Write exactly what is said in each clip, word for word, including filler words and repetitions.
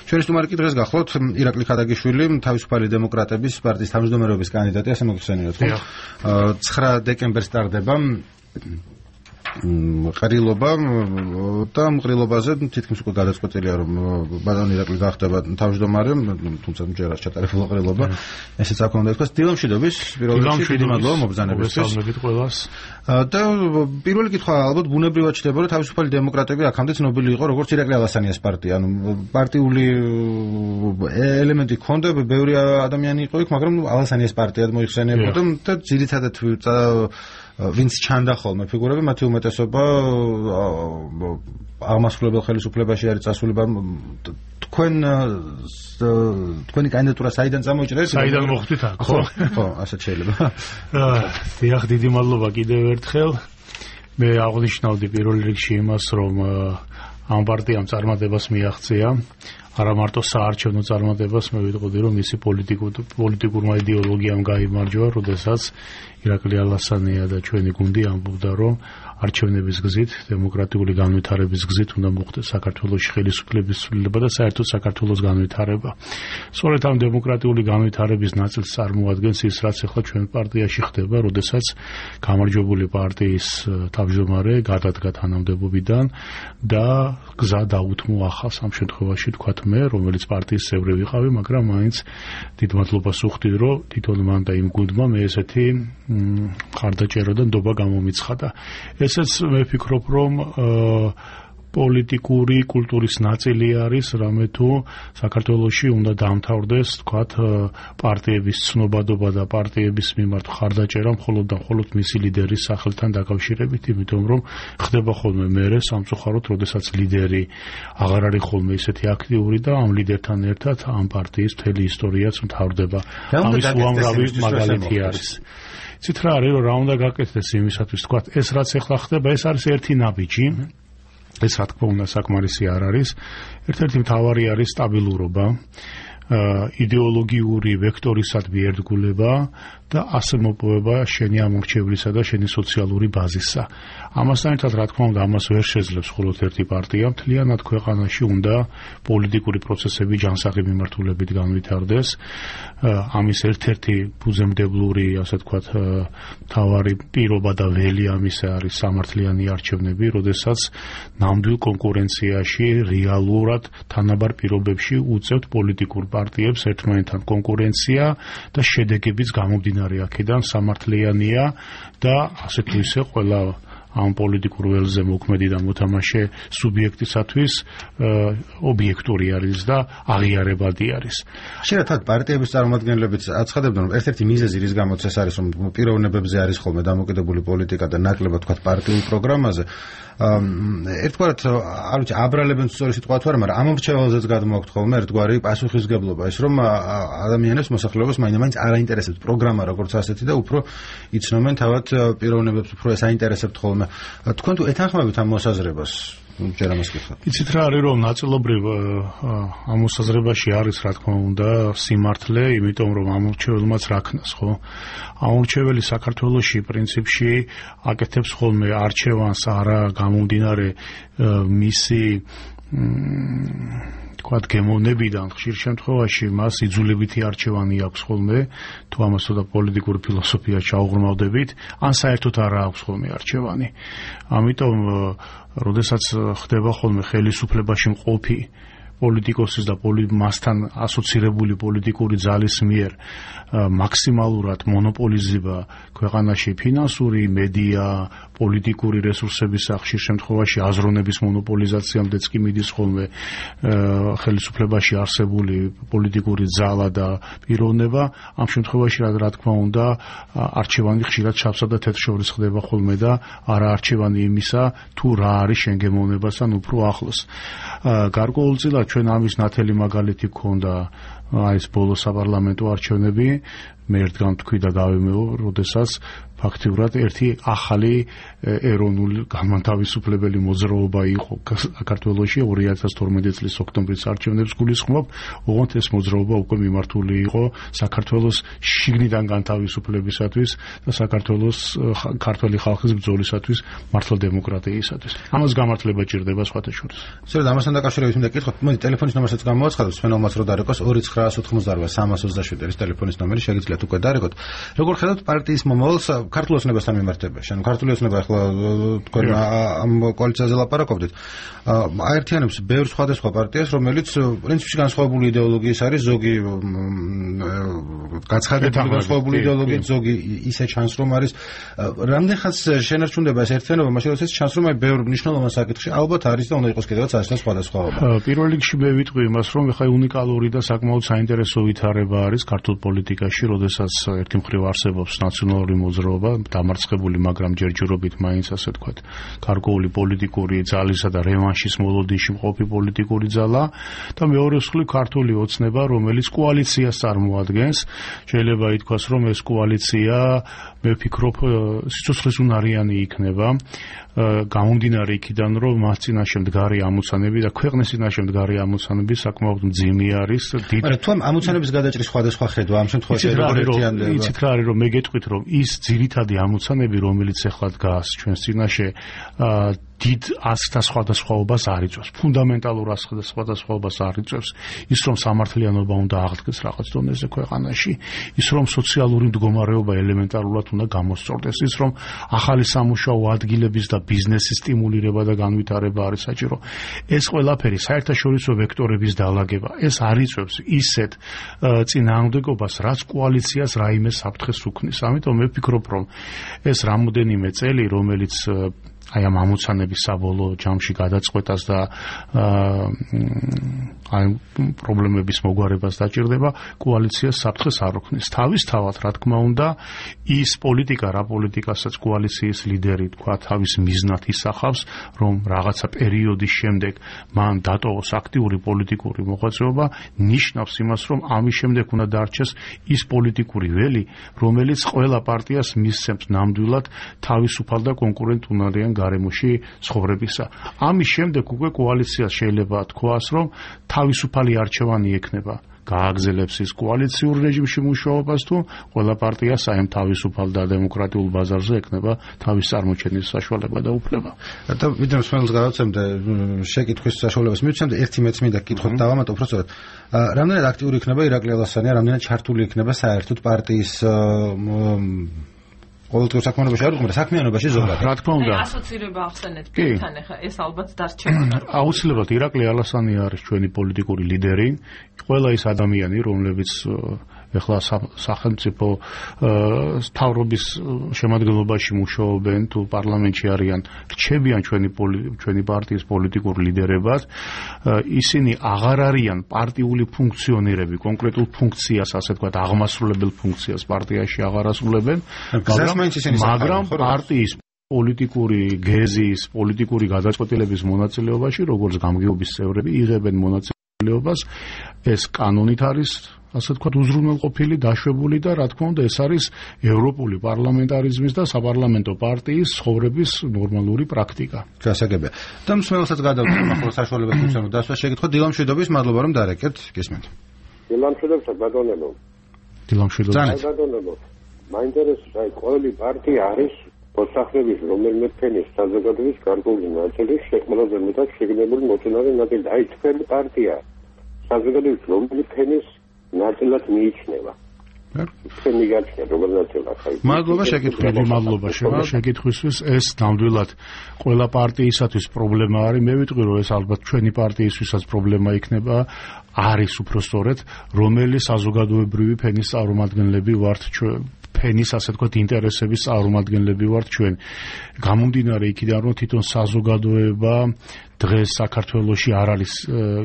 ჩვენი სტუმარი დღეს გახლავთ ირაკლი ხადაგიშვილი, თავისუფალი დემოკრატების პარტიის თავმჯდომარეობის კანდიდატი, ასე მოგხსენიოთ, ხო? ცხრა დეკემბერს ტარდება ყრილობა და მყრილობაზე თითქმის უკვე გადაწყვეტილია რომ ბატონი ირაკლი გახდება თავმჯდომარე, თუმცა ჯერ არ ჩატარებულა ყრილობა. ესეც აქ უნდა ითქვას, დილამშვიდობის, პირველ რიგში დიდი მადლობა მობრძანებისთვის. და პირველი კითხვა ალბათ ბუნებრივად ჩდება, რომ თავისუფალი დემოკრატები აქამდე ცნობილი იყო როგორც ირაკლი ალასანიას პარტია, ანუ პარტიული ელემენტი ჰქონდა, ბევრი ადამიანი იყო იქ, მაგრამ ალასანიას პარტიად მოიხსენიებოდა და ძირითადად ვინც ჩანდა ხოლმე ფიგურები, მათი უმეტესობა აღმასრულებელ ხელისუფლებაში არის წასული. თქვენ თქვენი კანდიდატურა საიდან წამოჭრეს? საიდან მოხვდით აქ? ხო, ხო, ასეთ შეიძლება. დიახ, დიდი მადლობა კიდევ ერთხელ. მე აღნიშნავდი პირველ რიგში იმას, რომ ამ პარტიამ წარმატებას მიაღწია. არა მარტო საარჩევნო წარმატებას, მე ვიტყოდი, რომ მისი პოლიტიკურმა იდეოლოგიამ გაიმარჯვა, როდესაც ირაკლი ალასანია და ჩვენი გუნდი ამბობდა, რომ არჩევნების გზით, დემოკრატიული განვითარების გზით უნდა მოხდეს საქართველოს ხელისუფლების ცვლილება და საერთოდ საქართველოს განვითარება. სწორედ ამ დემოკრატიული განვითარების ნაწილს წარმოადგენს ის, რაც ახლა ჩვენ პარტიაში ხდება, როდესაც გამარჯვებული პარტიის თავმჯდომარე გადადგა თანამდებობიდან და გზა დაუთმო ახალს, ამ შემთხვევაში თქვათ მე, რომელიც პარტიის წევრი ვიყავი, მაგრამ მაინც დიდ მადლობას ვუხდით, რომ თვითონ მან და იმ გუნდმა მე ესეთი მხარდაჭერა და ნდობა გამომიცხადა. ესეც მე ვფიქრობ, რომ პოლიტიკური კულტურის ნაწილი არის, რამე თუ საქართველოში უნდა დაამთავრდეს, თქვათ, პარტიების ცნობადობა და პარტიების მიმართ მხარდაჭერა მხოლოდ და მხოლოდ მისი ლიდერის სახელთან დაკავშირებით, იმიტომ რომ ხდება ხოლმე მერე სამწუხაროდ, როდესაც ლიდერი აღარ არის ხოლმე ისეთი აქტიური და ამ ლიდერთან ერთად ამ პარტიის მთელი ისტორიაც მთავრდება. ამის უამრავი მაგალითი არის. ცით რა არის, რომ რა უნდა გაკეთდეს იმისათვის, თქვათ, ეს რაც ახლა ხდება, ეს არის ერთი ნაბიჯი. ეს რა თქმა უნდა საკმარისი არ არის. ერთ-ერთი მთავარი არის სტაბილურობა, იდეოლოგიური ვექტორისადმი ერთგულება და ასე მოპოვება შენი ამორჩევლისა და შენი სოციალური ბაზისა. ამასთან ერთად, რა თქმა უნდა, ამას ვერ შეძლებს მხოლოდ ერთი პარტია. მთლიანად ქვეყანაში უნდა პოლიტიკური პროცესები ჯანსაღი მიმართულებით განვითარდეს. ამის ერთ-ერთი ფუძემდებლური, ასე ვთქვათ, მთავარი პირობა და ველი ამისა არის სამართლიანი არჩევნები, როდესაც ნამდვილ კონკურენციაში, რეალურად თანაბარ პირობებში უწევთ პოლიტიკურ პარტიებს ერთმანეთთან კონკურენცია და შედეგებიც გამომდინარე აქედან სამართლიანია და ასე თუ ისე ყველა ამ პოლიტიკურ ველზე მოქმედი და მოთამაშე სუბიექტისათვის ობიექტური არის და აღიარებადი არის. შეიძლება პარტიების წარმომადგენლებიც აცხადებდნენ, რომ ერთ-ერთი მიზეზი რის გამოც ეს არის, რომ პიროვნებებზე არის ხოლმე დამოკიდებული პოლიტიკა და ნაკლებად თქვათ პარტიულ პროგრამაზე. ერთგვარად არ ვიცი, აბრალებენ სწორი სიტყვა თუ არა, მაგრამ ამორჩეველზეც გადმოაქვთ ხოლმე ერთგვარი პასუხისგებლობა, ის რომ ადამიანებს მოსახლეობას მაინც არ აინტერესებს პროგრამა როგორც ასეთი და უფრო იცნობენ თავად პიროვნებებს, უფრო ეს აინტერესებთ ხოლმე. თქვენ თუ ეთანხმებით ამ მოსაზრებას? ჯერ ამას გიხსნით. იცით რა არის, რომ ნაწილობრივ ამ მოსაზრებაში არის, რა თქმა უნდა, სიმართლე, იმიტომ რომ ამორჩეველმაც რა ქნას, ხო? ამორჩეველი საქართველოში პრინციპში აკეთებს ხოლმე არჩევანს არა გამომდინარე მისი თქვათ გემოვნებიდან, ხშირ შემთხვევაში მას იძულებითი არჩევანი აქვს ხოლმე, თუ ამას და პოლიტიკური ფილოსოფია ჩაუღრმავდებით, ან საერთოდ არა აქვს ხოლმე არჩევანი. ამიტომ როდესაც ხდება ხოლმე ხელისუფლებაში მყოფი პოლიტიკოსის და მასთან ასოცირებული პოლიტიკური ძალის მიერ მაქსიმალურად მონოპოლიზება ქვეყანაში ფინანსური, მედია, პოლიტიკური რესურსების ხშირ შემთხვევაში აზროვნების მონოპოლიზაციამდეც კი მიდის ხოლმე ხელისუფლებაში არსებული პოლიტიკური ძალა და პიროვნება. ამ შემთხვევაში რა თქმა უნდა არჩევანი ხშირად შავსა და თეთრ შორის ხდება ხოლმე და არა არჩევანი იმისა, თუ რა არის შენ გემოვნებასთან უფრო ახლოს. გარკვეულწილად ჩვენ ამის ნათელი მაგალითი გქონდა არის ბოლო საპარლამენტო არჩევნები, მე ერთგან თქვი და გავიმეო, როდესაც ფაქტიურად ერთი ახალი ეროვნული განმათავისუფლებელი მოძრაობა იყო საქართველოში ორი ათას თორმეტი წლის ოქტომბრის არჩევნებს გულისხმობ, ოღონდ ეს მოძრაობა უკვე მიმართული იყო საქართველოს შიგნიდან განთავისუფლებისათვის და საქართველოს ქართველი ხალხის ბრძოლისათვის მართლა დემოკრატიისათვის. ამას გამართლება ჭირდება სხვათა შორის. სწორედ ამასთან დაკავშირებით მინდა გითხოთ, მოდი ტელეფონის ნომერსაც გამოაცხადოთ, სვენელმაც რო დარეკოს ორი ცხრა ოცდაოთხმოცდაოთხ სამას ოცდაშვიდი არის ტელეფონის ნომერი, შეგიძლიათ უკვე დარეკოთ. როგორ ხედავთ პარტიის მომავალს ქართულ ოცნებასთან მიმართებაში? ანუ ქართული ოცნება ახლა თქვენ ამ კოალიციაზე ლაპარაკობდით. აერთიანებს ბევრ სხვადასხვა პარტიას, რომელიც პრინციპში განსხვავებული იდეოლოგიის არის, ზოგი გაცხადებული განსხვავებული იდეოლოგიით, ზოგი ისე ჩანს, რომ არის რამდენხანს შენარჩუნდება ეს ერთიანობა, მაშინ როდესაც ჩანს, რომ აი ბევრ მნიშვნელოვან საკითხში ალბათ არის და უნდა იყოს კიდევაც ასე სხვადასხვაობა. პირველ რიგში მე ვიტყვი იმას, რომ ეხლა უნიკალური და საკმაოდ საინტერესო ვითარება არის ქართულ პოლიტიკაში, როდესაც ერთი მხრივ არსებობს ნაციონალური მოძრაობა, დამარცხებული, მაგრამ ჯერჯერობით მაინც ასე თქვა, გარკვეული პოლიტიკური ძალისა და რევანშის მოლოდინში მყოფი პოლიტიკური ძალა და მეორე მხრივ ქართული ოცნება, რომელიც კოალიციას წარმოადგენს. შეიძლება ითქვას, რომ ეს კოალიცია, მე ვფიქრობ, სიცოცხლესუნარიანი იქნება. გამომდინარე იქიდან, რომ მას წინაშე მდგარი ამოცანები და ქვეყნის წინაშე მდგარი ამოცანები საკმაოდ მძიმე არის. მაგრამ თუ ამოცანების გადაჭრის სხვადასხვა ხედვა ამ შემთხვევაში როგორ იცით რა არის, რომ მე გეტყვით, რომ ის ძირითადი ამოცანები, რომელიც ახლა დგას ჩვენს წინაშე, დიდ ასთა სხვადასხვაობას არ იწვევს, ფუნდამენტალურ ასთა სხვადასხვაობას არ იწვევს, ის რომ სამართლიანობა უნდა აღდგეს რაღაც დონეზე ქვეყანაში, ის რომ სოციალური მდგომარეობა ელემენტარულად უნდა გამოსწორდეს, ის რომ ახალი სამუშაო ადგილების და ბიზნესის სტიმულირება და განვითარება არის საჭირო. ეს ყველაფერი საერთაშორისო ვექტორების დალაგება, ეს არ იწვევს ისეთ წინააღმდეგობას, რაც კოალიციას რაიმე საფრთხეს უქმნის. ამიტომ მე ვფიქრობ, რომ ეს რამოდენიმე წელი, რომელიც აი ამ ამოცანების საბოლოო ჯამში გადაწყვეტას და აი პრობლემების მოგვარებას დაჭირდება, კოალიციას საფრთხეს არ უქმნის. თავისთავად, რა თქმა უნდა, ის პოლიტიკა, რა პოლიტიკასაც კოალიციის ლიდერი თქვა თავის მიზნად ისახავს, რომ რაღაცა პერიოდის შემდეგ მან დატოვოს აქტიური პოლიტიკური მოღვაწეობა, ნიშნავს იმას, რომ ამის შემდეგ უნდა დარჩეს ის პოლიტიკური ველი, რომელიც ყველა პარტიას მისცემს ნამდვილად თავისუფალ და კონკურენტუნარიან გარემოში ცხოვრებისა. ამის შემდეგ უკვე კოალიციას შეიძლება თქვას, რომ თავისუფალი არჩევანი ექნება. გააგზელებს ის კოალიციურ რეჟიმში მუშაობას თუ ყველა პარტია საერთოდ თავისუფალ და დემოკრატიულ ბაზარზე ექნება თავის წარმოჩენის საშუალება და უფლება. და ვიდრე მსმენელს გავაცემდე შეკითხვის საშუალებას მივცემდე ერთი მეც მინდა კითხოთ დავამატო უბრალოდ რამდენად აქტიური იქნება ირაკლი ალასანი, რამდენად ჩართული იქნება საერთოდ პარტიის ყოველდღიურ საქმიანობაში არ უყურე საქმიანობაში ზოგადად. რა თქმა უნდა. ასოცირება ახსენეთ თქვენ ახლა ეს ალბათ დარჩება. აუცილებლად ირაკლი ალასანი არის ჩვენი პოლიტიკური ლიდერი, ყველა ის ადამიანი, რომლებიც ეხლა სახელმწიფო მთავრობის შემადგენლობაში მუშაობენ თუ პარლამენტში არიან, რჩებიან ჩვენი ჩვენი პარტიის პოლიტიკურ ლიდერებას, ისინი აღარ არიან პარტიული ფუნქციონერები, კონკრეტულ ფუნქციას, ასე ვთქვათ, აღმასრულებელ ფუნქციას პარტიაში აღარ ასრულებენ, მაგრამ პარტიის პოლიტიკური გეზის, პოლიტიკური გადაწყვეტილების მონაწილეობაში, როგორც გამგეობის წევრები, იღებენ მონაწილეობას, ეს კანონით არის ასე ვთქვათ, უზრუნველყოფილი, დაშვებული და რა თქმა უნდა, ეს არის ევროპული პარლამენტარიზმის და საპარლამენტო პარტიის ცხოვრების ნორმალური პრაქტიკა. გასაგებია. და მსმენელსაც გადავწყვეტ ახლა საშუალებას მიცემ დასვა შეგითხოთ დილამშვიდობის, მადლობა რომ დარეკეთ, გისმენთ. დილამშვიდობს ბატონებო. დილამშვიდობის. ბატონებო. მაინტერესებს აი ყოველი პარტია არის მოსახლეობის რომელიმე ფენის საზოგადოების გარკვეული ნაწილის ყველაზე მეტად შეგნებული მოწინავე ნაწილი. აი თქვენი პარტია საზოგადოების რომელი ფენის ნაწილად მიიჩნევა. თქვენი გაჩნია როგორ ნაწილად ხაი. მადლობა შეკითხვისთვის, მადლობა შეკითხვისთვის. ეს ნამდვილად ყველა პარტიისათვის პრობლემა არის. მე ვიტყვი, რომ ეს ალბათ ჩვენი პარტიისთვისაც პრობლემა იქნება. არის უფრო სწორედ, რომელი საზოგადოებრივი ფენის წარმომადგენლები ვართ ფენის ასე ვთქვათ ინტერესების წარმომადგენლები ვართ ჩვენ. გამომდინარე იქიდან რომ თვითონ საზოგადოება დღეს საქართველოში არ არის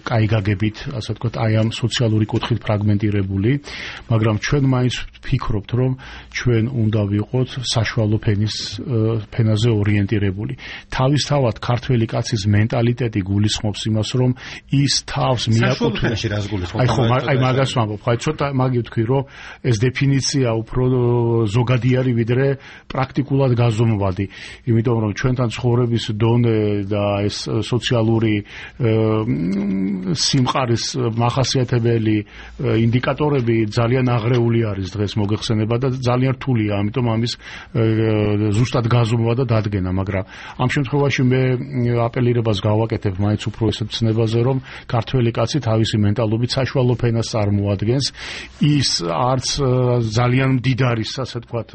კაი გაგებით, ასე ვთქვათ, აი ამ სოციალური კუთხით ფრაგმენტირებული, მაგრამ ჩვენ მაინც ვფიქრობთ, რომ ჩვენ უნდა ვიყოთ საშუალო ფენის ფენაზე ორიენტირებული. თავისთავად ქართველი კაცის მენტალიტეტი გულისხმობს იმას, რომ ის თავს მიაკუთვნებს. აი ხო, აი მაგას ვამბობ, ხო, ცოტა მაგი ვთქვი, რომ ეს დეფინიცია უფრო ზოგადი არის, ვიდრე პრაქტიკულად გაზომვადი, იმიტომ რომ ჩვენთან ცხოვრების დონე და ეს სოციალური სიმყარის მახასიათებელი ინდიკატორები ძალიან აღრეული არის დღეს მოგეხსენება და ძალიან რთულია, ამიტომ ამის ზუსტად გაზომვა და დადგენა, მაგრამ ამ შემთხვევაში მე აპელირებას გავაკეთებ მაინც უფრო ესეთ ცნებაზე, რომ ქართველი კაცი თავისი მენტალობით საშუალო ფენას წარმოადგენს, ის არც ძალიან მდიდარი, ასე ვთქვათ,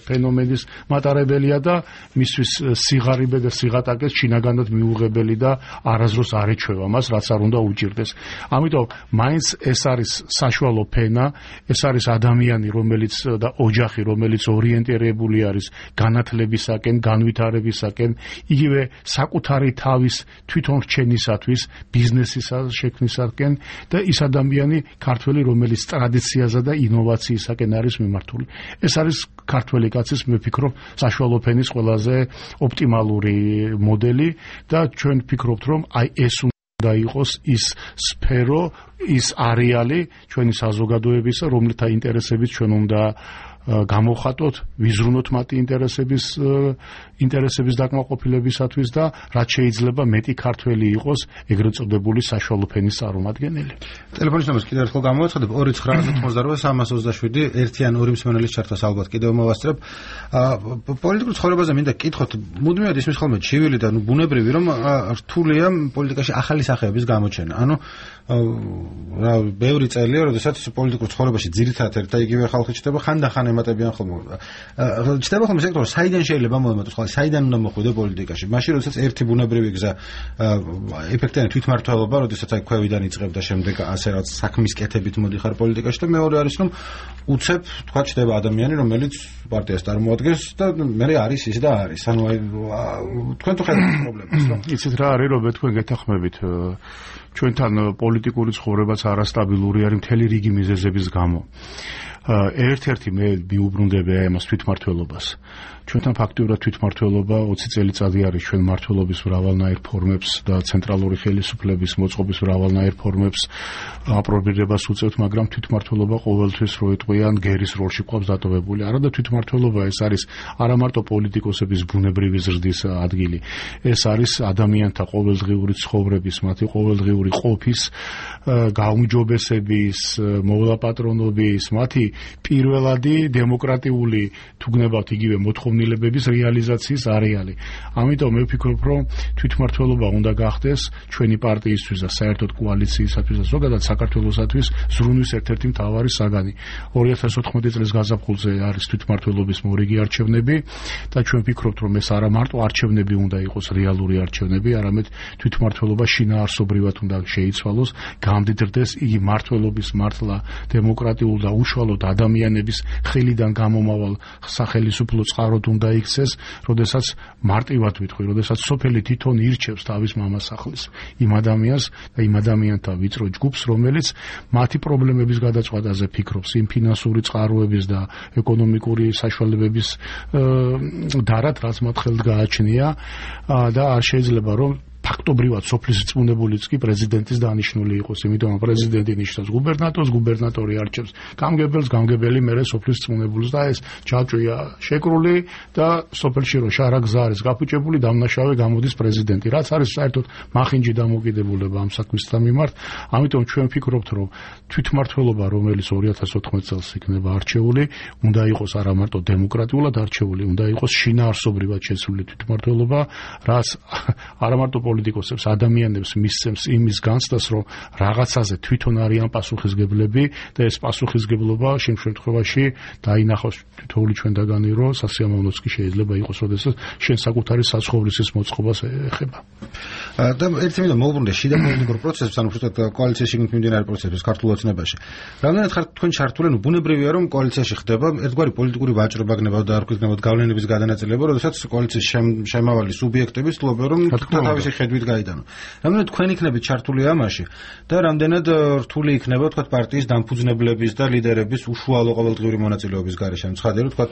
ფენომენის მატარებელია და მისთვის სიღარიბე და სიღატაკეს შინაგანად მიუღებელი და არასდროს არ ეჩვევა მას, რაც არ უნდა უჭირდეს. ამიტომ მაინც ეს არის საშუალო ფენა, ეს არის ადამიანი, რომელიც და ოჯახი, რომელიც ორიენტირებული არის განათლებისაკენ, განვითარებისაკენ, იგივე საკუთარი თავის თვითონ რჩენისათვის, ბიზნესის შექმნისაკენ და ის ადამიანი ქართველი, რომელიც ტრადიციაზე და ინოვაციისაკენ არის მიმართული. ეს არის ქართველი კაცის, მე ვფიქრობ, საშუალო ფენის ყველაზე ოპტიმალური მოდელი და ჩვენ ვფიქრობთ, რომ აი ეს უნდა იყოს ის სფერო, ის არეალი ჩვენი საზოგადოებისა, რომელთა ინტერესებით ჩვენ უნდა გამოვხატოთ, ვიზრუნოთ მათი ინტერესების ინტერესების დაკმაყოფილებისათვის და რაც შეიძლება მეტი ქართველი იყოს ეგრეთ წოდებული საშუალო ფენის წარმომადგენელი. ტელეფონის ნომერს კიდევ ერთხელ გამოვაცხადებ ორი ცხრა ათოთხმოცდაოთხ სამას ოცდაშვიდი ერთი ან ორი მსმენელის ჩართვას ალბათ კიდევ მოვასწრებ. პოლიტიკურ ცხოვრებაზე მინდა კითხოთ, მუდმივად ისმის ხოლმე ჩივილი და ნუ ბუნებრივი, რომ რთულია პოლიტიკაში ახალი სახეების გამოჩენა. ანუ რა ბევრი წელია, როდესაც პოლიტიკურ ცხოვრებაში ძირითადად ერთ და იგივე ხალხი ჩდება, ხანდახან ემატებიან ხოლმე. ჩდება ხოლმე სექტორი, საიდან შეიძლება მომემატოს ხალხი, საიდან უნდა მოხვიდე პოლიტიკაში. მაშინ როდესაც ერთი ბუნებრივი გზა ეფექტიანი თვითმმართველობა, როდესაც აი ქვევიდან იწყებ და შემდეგ ასე რაც საქმის კეთებით მოდიხარ პოლიტიკაში და მეორე არის რომ უცებ თქვა ჩდება ადამიანი, რომელიც პარტიას წარმოადგენს და მე არის ის და არის. ანუ აი თქვენ თუ ხედავთ პრობლემას, რომ იცით რა არის, რომ თქვენ გეთანხმებით ჩვენთან პოლიტიკური ცხოვრებაც არასტაბილური არის მთელი რიგი მიზეზების გამო. ერთ-ერთი მე მიუბრუნდები ამას თვითმმართველობას. ჩვენთან ფაქტიურად თვითმმართველობა ოცი წელიწადი არის ჩვენ მმართველობის მრავალნაირ ფორმებს და ცენტრალური ხელისუფლების მოწყობის მრავალნაირ ფორმებს აპრობირებას უწევთ, მაგრამ თვითმმართველობა ყოველთვის რო იტყვიან გერის როლში ყავს დატოვებული. არა და თვითმმართველობა ეს არის არა მარტო პოლიტიკოსების ბუნებრივი ზრდის ადგილი. ეს არის ადამიანთა ყოველდღიური ცხოვრების, მათი ყოველდღიური ყოფის, გაუმჯობესების, მოვლაპატრონობის, მათი პირველადი დემოკრატიული თუ გნებავთ იგივე მოთხოვნილებების რეალიზაციის არეალი. ამიტომ მე ვფიქრობ, რომ თვითმმართველობა უნდა გახდეს ჩვენი პარტიისთვის და საერთოდ კოალიციისათვის და ზოგადად საქართველოსათვის ზრუნვის ერთ-ერთი მთავარი საგანი. ორი ათას ოთხმოცდაათი წლის გაზაფხულზე არის თვითმმართველობის მორიგი არჩევნები და ჩვენ ვფიქრობთ, რომ ეს არა მარტო არჩევნები უნდა იყოს რეალური არჩევნები, არამედ თვითმმართველობა შინაარსობრივად უნდა შეიცვალოს, გამდიდრდეს იგი მმართველობის მართლა დემოკრატიულ და უშუალოდ ადამიანების ხელიდან გამომავალ სახელისუფლო წყაროდ უნდა იქცეს, როდესაც მარტივად ვიტყვი, როდესაც სოფელი თვითონ ირჩევს თავის მამასახლის იმ ადამიანს და იმ ადამიანთა ვიწრო ჯგუფს, რომელიც მათი პრობლემების გადაწყვეტაზე ფიქრობს, იმ ფინანსური წყაროების და ეკონომიკური საშუალებების დარად, რაც მათ ხელთ გააჩნია და არ შეიძლება რომ ფაქტობრივად სოფლის რწმუნებულიც კი პრეზიდენტის დანიშნული იყოს, იმიტომ რომ პრეზიდენტი ნიშნავს გუბერნატორს, გუბერნატორი არჩევს გამგებელს, გამგებელი მერე სოფლის რწმუნებულს და ეს ჯაჭვია შეკრული და სოფელში რო შარა გზა არის გაფუჭებული, დამნაშავე გამოდის პრეზიდენტი, რაც არის საერთოდ მახინჯი დამოკიდებულება ამ საქმისთან მიმართ. ამიტომ ჩვენ ვფიქრობთ, რომ თვითმმართველობა, რომელიც ორი ათას ოთხმოცდაათი წელს იქნება არჩეული, უნდა იყოს არა მარტო დემოკრატიულად არჩეული, უნდა იყოს შინაარსობრივად შეცვლილი თვითმმართველობა, რაც არა მარტო პოლიტიკოსებს, ადამიანებს მისცემს იმის განცდას, რომ რაღაცაზე თვითონ არიან პასუხისგებლები და ეს პასუხისგებლობა შემ შემთხვევაში დაინახოს თითოეული ჩვენთაგანი, რომ სასიამოვნოც კი შეიძლება იყოს, როდესაც შენ საკუთარი საცხოვრისის მოწყობას ეხება. და ერთი მინდა მოვუბრუნდე შიდა პოლიტიკურ პროცესებს, ანუ უბრალოდ კოალიციაში შიგნით მიმდინარე პროცესებს ქართულ ოცნებაში. რამდენად ხართ თქვენ ჩართული, ნუ ბუნებრივია რომ კოალიციაში ხდება ერთგვარი პოლიტიკური ვაჭრობა გნებავ და არ გქნებავ გავლენების გადანაწილება, როდესაც კოალიციის შემავალი სუბიექტები ცდილობენ რომ თავისი ხედვით გაიდანო. რამდენად თქვენ იქნებით ჩართული ამაში და რამდენად რთული იქნება თქვა პარტიის დამფუძნებლების და ლიდერების უშუალო ყოველდღიური მონაწილეობის გარეშე. ცხადია რომ თქვა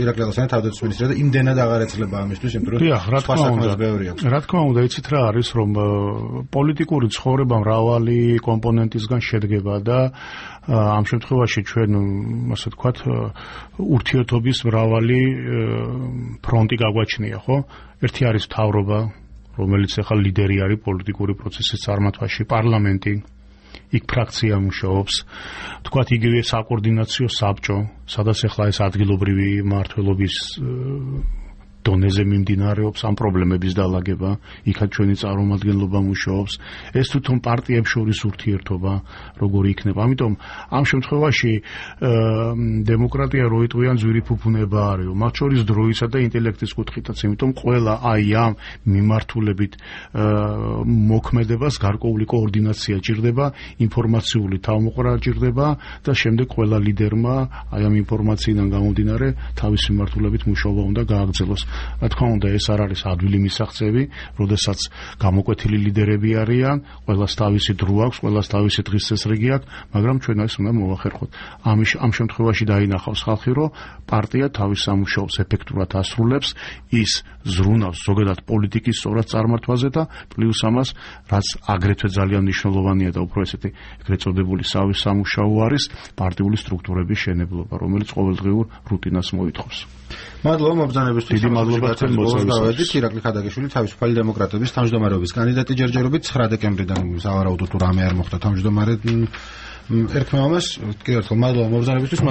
ირაკლი ალასიანი თავდაცვის მინისტრია და იმდენად აღარ ეცლება ამისთვის, იმიტომ რომ სხვა საქმეც ბევრი აქვს. რა თქმა უნდა, იცით რა არის, რომ პოლიტიკური ცხოვრება მრავალი კომპონენტისგან შედგება და ამ შემთხვევაში ჩვენ ასე ვთქვათ ურთიერთობის მრავალი ფრონტი გაგვაჩნია, ხო? ერთი არის მთავრობა, რომელიც ახლა ლიდერი არის პოლიტიკური პროცესის წარმართვაში, პარლამენტი, იქ ფრაქცია მუშაობს, თქვათ იგივე საკოორდინაციო საბჭო, სადაც ახლა ეს ადგილობრივი მმართველობის დონეზე მიმდინარეობს ამ პრობლემების დალაგება, იქაც ჩვენი წარმომადგენლობა მუშაობს, ეს თვითონ პარტიებს შორის ურთიერთობა როგორი იქნება. ამიტომ ამ შემთხვევაში დემოკრატია როიტყვიან ძვირიფუფუნება არის, მათ შორის დროისა და ინტელექტის კუთხითაც, იმიტომ ყველა აი ამ მიმართულებით მოქმედებას გარკვეული კოორდინაცია ჭირდება, ინფორმაციული თავმოყრა ჭირდება და შემდეგ ყველა ლიდერმა აი ამ ინფორმაციიდან გამომდინარე თავისი მიმართულებით მუშაობა უნდა გააგრძელოს. რა თქმა უნდა, ეს არ არის ადვილი მისაღწევი, როდესაც გამოკვეთილი ლიდერები არიან, ყველას თავისი დრო აქვს, ყველას თავისი დღის წესრიგი აქვს, მაგრამ ჩვენ ეს უნდა მოვახერხოთ. ამის ამ შემთხვევაში დაინახავს ხალხი, რომ პარტია თავის სამუშაოს ეფექტურად ასრულებს, ის ზრუნავს ზოგადად პოლიტიკის სწორად წარმართვაზე და პლუს ამას, რაც აგრეთვე ძალიან მნიშვნელოვანია და უფრო ესეთი ეგრეთ წოდებული სავის სამუშაო არის, პარტიული სტრუქტურების შენებლობა, რომელიც ყოველდღიურ რუტინას მოითხოვს. მადლობა მობრძანებისთვის. დიდი მადლობა თქვენ მოწვევისთვის. ირაკლი ხადაგიშვილი თავისუფალი დემოკრატების თავმჯდომარეობის კანდიდატი ჯერჯერობით ცხრა დეკემბრიდან სავარაუდოდ თუ რამე არ მოხდა თავმჯდომარე ერქმევამას. კიდევ ერთხელ მადლობა მობრძანებისთვის.